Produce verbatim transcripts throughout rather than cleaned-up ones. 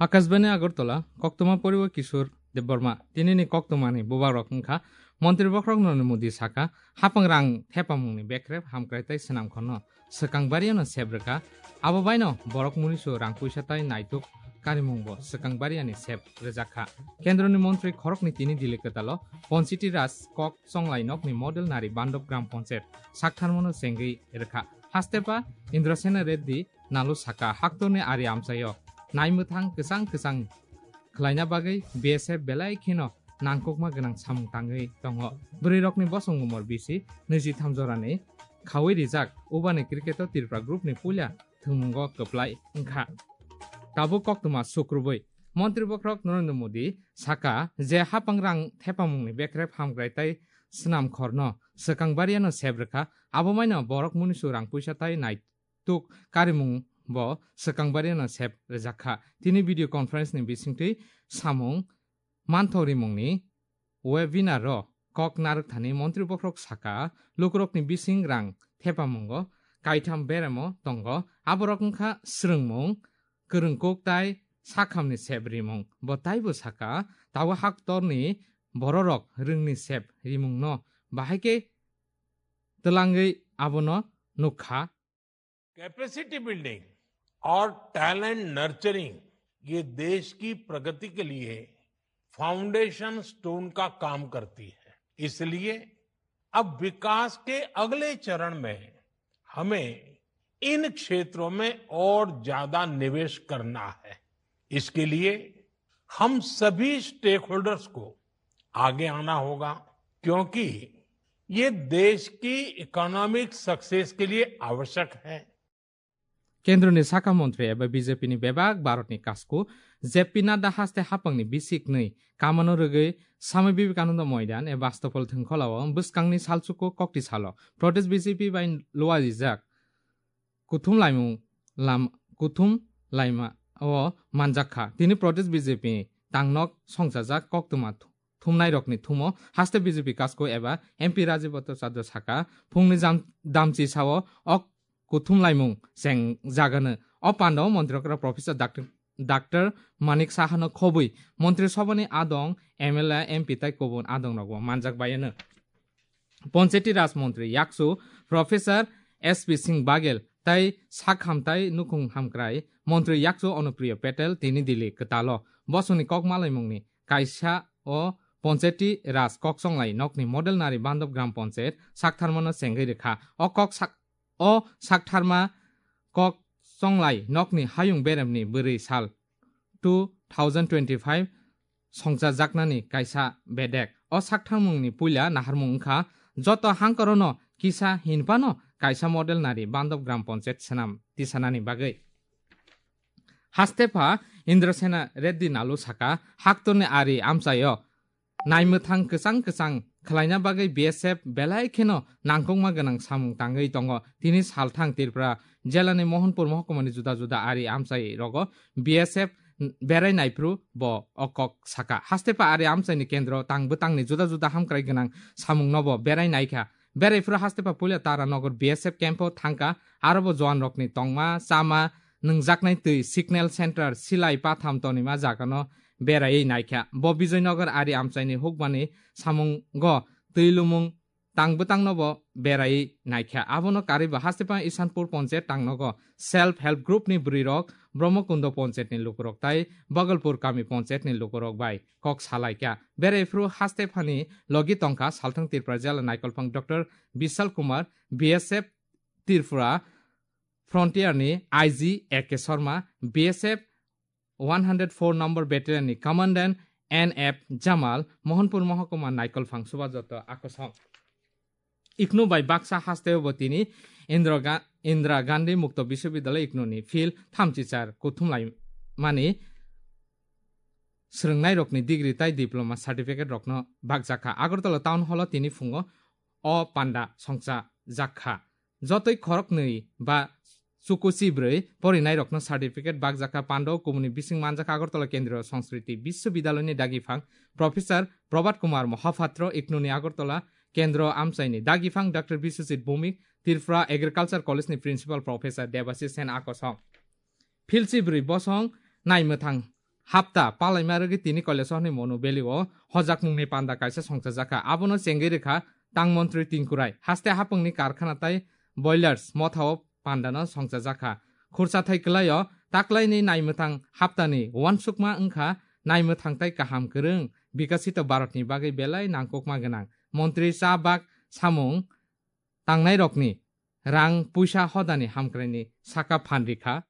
Akashbani Agartala, koktwma poriwo Kishore Debbarma. Tinini koktwmani bubagrok wngkha Montri Bokhorok Narendra Modi saka, hapang rang thepamungni bekrep hamkrai tei swnam khorno swkang bariano sep rwkha, abo baino borok munisu rang puisa tai naituk karimungbo swkang bariani sep rwjakha. Kendroni montri khoroknwi tini Delhi kwtalo Panchayati Raj kok chonglai nokni model nari Bandop Gram Panchayat saktharmano chengwi rwkha. Hastepa Indrasena Reddy Nalu saka, haktorni ari amchaio naimwthang kwchang kwchang khwlaina bagwi B S F belai kheno nangkukma gwnang samung tangwi tongo. Bwrwirokni bosong umor bisi nwi jitham jorani khaui rijak, ubani cricket-o Tripura group-ni puila thwngmungo kwplai wngkha. Tabuk koktwma sukrubwi Montri Bokhorok Narendra Modi saka je hapang rang thepamungni bekrep hamkrai tei swnam khorno swkang bariano sep rwkha, abo maino borok munisu rang puisa tai nai tuk karimung bo swkang bariano sep rwjak kha. Tini video conference ni bisingtwi samung manthok rimungni webinar o kok narwk thani Montri Bokhorok saka, lukurokni bising rang thepamungo kaitham beremo tongo, aborok wngkha swrwngmung, kwrwngkuk tai sakhamni sep rimung. Bo taibo saka, tabuk haktorni bororok rwngni sep rimungno bahai khe twlangwi abono nukha. Capacity building और talent nurturing ये देश की प्रगति के लिए foundation stone का काम करती है। इसलिए अब विकास के अगले चरण में हमें इन क्षेत्रों में और ज्यादा निवेश करना है। इसके लिए हम सभी स्टेकहोल्डर्स को आगे आना होगा, क्योंकि ये देश की इकोनॉमिक सक्सेस के लिए आवश्यक है। Kendroni sakha montri eba B J P ni bebak Bharatni kasku J P Nadda haste hapangni bisik nwi kamano rwgwi Swami Vivekananda Moidan eba Astopol thwngkholao bwskangni salchuko kokti salo protest B J P bai luarijak kuthum laimung lam kuthum laima o manjak kha. Tini protest B J P tangnok songchajak koktwma thumnairokni thumo haste B J P kasku eba M P Rajiv Bhattacharya saka, phungni jam damchi sao ok kuthum laimung cheng jagano. O pandao montri okra Professor Doctor Doctor Manik Sahano khobwi montri sobani adong M L A, M P tai kubun adongrokbo manjak baiano. Panchayati Raj montri yakchu Professor S P Singh Baghel tai sak hamtai nukhung hamkrai montri yakchu Anupriya Patel tini Delhi kwtalo bosongni kok malaimungni kaisa o Panchayati Raj kok chonglai nokni model nari Bandop Gram Panchayat saktharmano chengwi rwkha. O kok sak o saktharma kok chonglai nokni hayung beremni bwrwi sal two thousand twenty-five songchajaknani kaisa bedek. O saktharmungni puila naharmung wngkha joto hangkorono kisa hinphano kaisa model nari Bandop Gram Panchayat swnam tisanani bagwi. Hastepha Indrasena Reddy Nalu saka, haktorni ari amchaio naimwthang kwchang kwchang khwlaina bagwi B S F belai kheno nangkukma gwnang samung tangwi tongo. Tini salthang Tripura jelani Mohanpur mohkumani juda juda ari amchai rogo B S F berai naiphru bo o kok saka. Hastepha ari amchaini kendro tang bwtangni juda juda hamkrai gwnang samungnobo berai naikha. Beraifru hastepha puila Taranagar B S F camp-o thangkha, arobo jowanrokni tongma, chama, nwngjaknai twi, signal center, silai patham tonima jagano beraiwi naikha. Bo Bijoynagar ari amchaini hukmani samungo twi lumung tang bwtangnobo beraiwi naikha. Abono karwibo hastepha Isanpur Panchayat tangnogo self help group ni bwrwirok, Brahmakundo Panchayat ni lukurok tai Bagalpur Kami Panchayat ni lukurok bai kok salaikha. Beraifru hastephani logi tongkha salthang Tripura jela naikolphang Doctor Bishal Kumar, B S F Tripura Frontier ni I G A K Sharma, B S F one hundred four number battalion ni commandant N F Jamal, Mohanpur mohokuma naikolphang Subhajoto Akosong. Iknu bai baksa hasteo bo tini Indra Ga-, Indra Gandhi Mukto Biswabidyalaya Iknu ni field thamchichar kuthumlaimani swrwngnairokni degree tai diploma certificate rokno bakjakha. Agartala Town Hall o tini phungo o panda songchajakha. Jotoi khoroknwi ba chukuchi bwrwi porinairokno certificate bakjakha. Pandao kubuni bising manjakha Agartala Kendriya Sanskriti Biswabidyaloyni dagiphang Professor Prabhat Kumar Mohapatro, Iknuni Agartala Kendro amchaini dagiphang Doctor Biswajit Bhowmik, Tripura Agriculture College ni Principal Professor Debashish Sen akosong. Philsi bwrwi bosong naimwthang hapta palaima rwgwi tini Kailasahani Monu Valley o hojakmungni panda kaisa songchajakha. Abono chengwi rwkha tang montri Tinku Rai. Haste hapungni karkhana tai boilers mothao pandano songchajakha. Khursa thai kwlaio taklaini naimwthang haptani uansukma wngkha naimwthang tai kaham kwrwng Bikasito Bharatni bagwi belai nangkukma gwnang. Montri cha bak samung tangnairokni rang puisa hodani hamkraini saka phan rikha.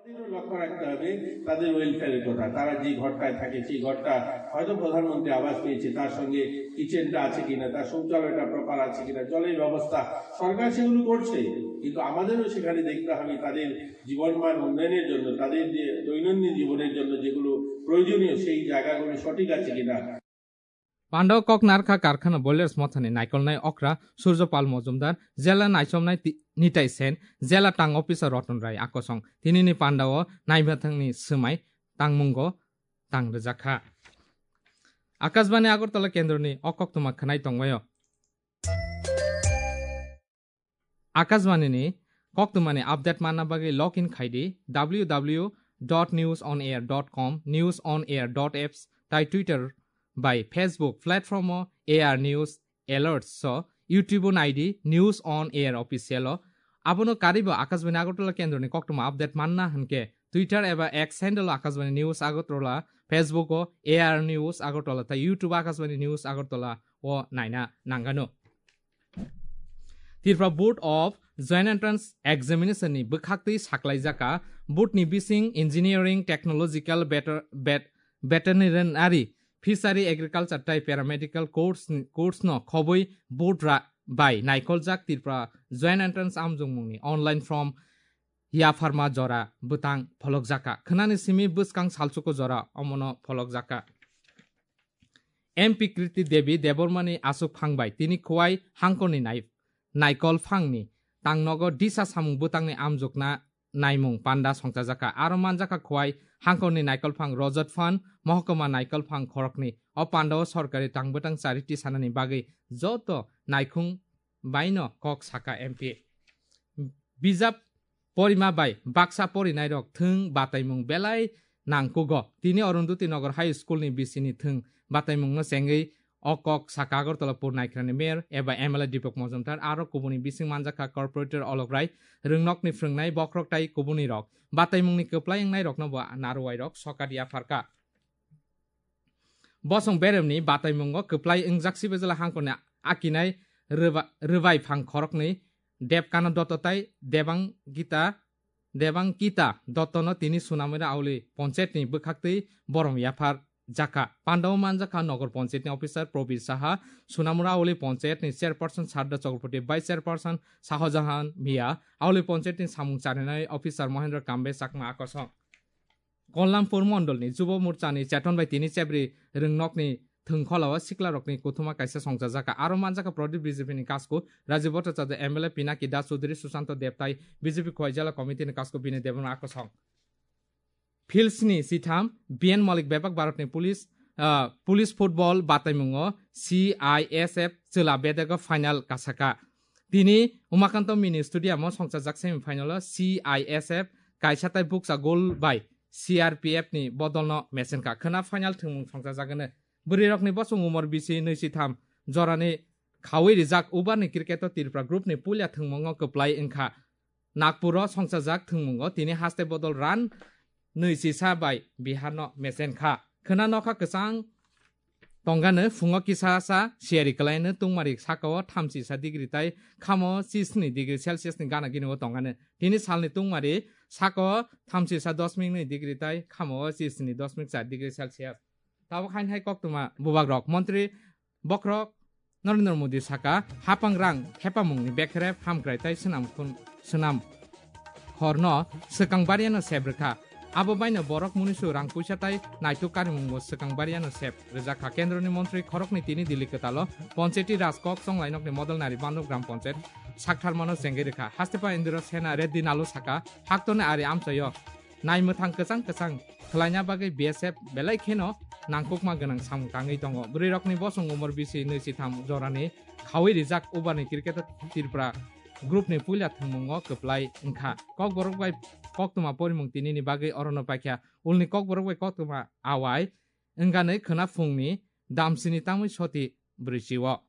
আমাদেরও লক্ষ্য রাখতে হবে তাদের ওয়েলফেয়ারের কথা। তারা যে ঘরটায় থাকে সেই ঘরটা হয়তো প্রধানমন্ত্রী আবাস পেয়েছে, তার সঙ্গে কিচেনটা আছে কিনা, তার শৌচালয়টা প্রপার আছে কিনা, জলের ব্যবস্থা, সরকার সেগুলো করছে, কিন্তু আমাদেরও সেখানে দেখতে হবে তাদের জীবনমান উন্নয়নের জন্য, তাদের যে দৈনন্দিন জীবনের জন্য যেগুলো প্রয়োজনীয় সেই জায়গাগুলো সঠিক আছে কিনা। Pando kok narkha karkhana boilers mothani naikolnai okra Surjopal Mojumdar, jela naisomnai ti- Nitai Sen, jela tang officer Roton Rai akosong tinini pandao naibathangni swmai tangmungo tang rwjakha. Akashbani Agartala kendroni o koktwma khwnai tongbaio. Akashbani ni koktwmani update manna bagwi log in khaidi w w w dot news on air dot com, news on air dot apps tai Twitter bai Facebook platform o A R News Alerts so YouTube o naidi News on Air Official o. Abono karibo Akashbani Agartala kendroni koktwma update manna hwnkhe Twitter eba X handle o Akashbani News Agartala, Facebook o A R News Agartala tai YouTube Akashbani News Agartala o naina nangano. Tripura Board of Joint Entrance Examination ni bwkhaktwi saklaijaka board ni bising engineering, technological, better, bet, veterinary, fishery, agriculture tai paramedical course, course no khobwi board ra bai naikoljak Tripura Joint Entrance amjongmungni online form yapharma jora bwtang pholokjaka. Khwnani simi bwskang salchuko jora omono pholokjaka. M P Kriti Devi Debbarmani aswk phang bai tini Khowai hangkorni nai-, naikol phangni tangnogo disa samung bwtangni amjokna naimung panda songchajakha. Aro manjakha Khowai hangkorni naikol phang Rojot Phan, Mohokuma naikol phang khoroknwi. O pandao sorkari tang bwtang charity sanani bagwi joto naikhung baino kok saka M P. Bijap porima bai baksa porinairok thwng bataimung belai nangkugo. Tini Arundhati Nagar High School ni bisini thwng bataimungno chengwi o kok saka Agartala Pur Naikrani Mayor eba M L A Deepak Majumdar aro kubuni bising manjakha Corporator Olok Rai, rwngnokni phrwngnai bokhorok tai kubunirok. Bataimungni kwplai wngnairokno bo naruwairok sokat yapharkha. Bosong beremni bataimungo kwplai wngjak Sibajala hangkorni akinai rwba-, rwbai phang khoroknwi Debkana Dotto tai Debang Gita, Debang Kita Dottono tini Sunamura Auli ponchayetni bwkhaktwi borom yaphar jakha. Pandao manjakha Nogor ponchayetni officer Probir Saha, Sunamura Auli ponchayetni chairperson Sarda Chakraborty, vice chairperson Sahojahan Mia, Auli ponchayetni samung charinai officer Mohendra Kambe Chakma akosong. Kollampur mondolni Jubo Morchani cheton bai tini chebri rwngnokni thwngkholao siklarokni kuthuma kaisa songchajakha. Aro manjakha Pradip B J P ni kasku Rajiv Bhattacharya, M L A Pinaki Das Chaudhary, Susanto Deb tai B J P Khowai Jela Committee ni kasku Bini Debbarma akosong. Philsni sitham B N Malik bebak Bharatni police, ah, police football bataimungo C I S F chwla bedego final kasaka. Tini Umakanto Mini Stadium o songchajak semi final o C I S F kaisa tai bukcha goal bai C R P F ni bodolno mesenka. Khwna final thwngmung songchajagwno. Bwrwirokni bosong umor bisi nwi si tham jorani khaui rijak ubarni cricket o Tripura group ni puila thwngmungo kwplai wngkha. Nagpur o songchajak thwngmungo tini haste bodol run nwi si sa bai Bihar no mesenkha. Khwna nokha kwchang tongano phungo kisa sa siyari kwlaino tungmari sakao thamchi sa degree tai khamo chisni degree Celsius ni gana gini o tongano. Tini salni tungmari sakao thamchi sa dosmik nwi degree tai khamo chisni dosmik char degree Celsius. Tabuk hain hai koktwma bubagrok montri bokhorok Narendra Modi saka hapang rang khepamungni bekhrep hamkrai tai swnam khun-, swnam khorno swkang bariano sep rwkha. Abo baino borok munisu rang puisa tai naituk karimungbo swkang bariano sep rwjakha. Kendroni montri khoroknwi tini Delhi kwtalo Panchayati Raj kok chonglainokni model nari Bandop Gram Panchayat saktharmano chengwi rwkha. Hastepa Indira Sena Reddy Nalu saka, haktoni ari amchaio naimwthang kwchang kwchang khwlaina bagwi B S F belai kheno nangkukma gwnang samung tangwi tongo. Bwrwirokni bosong umor bisi nwi si tham jorani khawi rijak Ubarni Cricketer Tripura group ni puila thwngmungo kwplai wngkha. Kokborok bai koktwma porimung tinini bagwi orono paikha. Ulni Kokborok bai koktwma awai wngani khwna phungni damsini tangwi soti brwichio.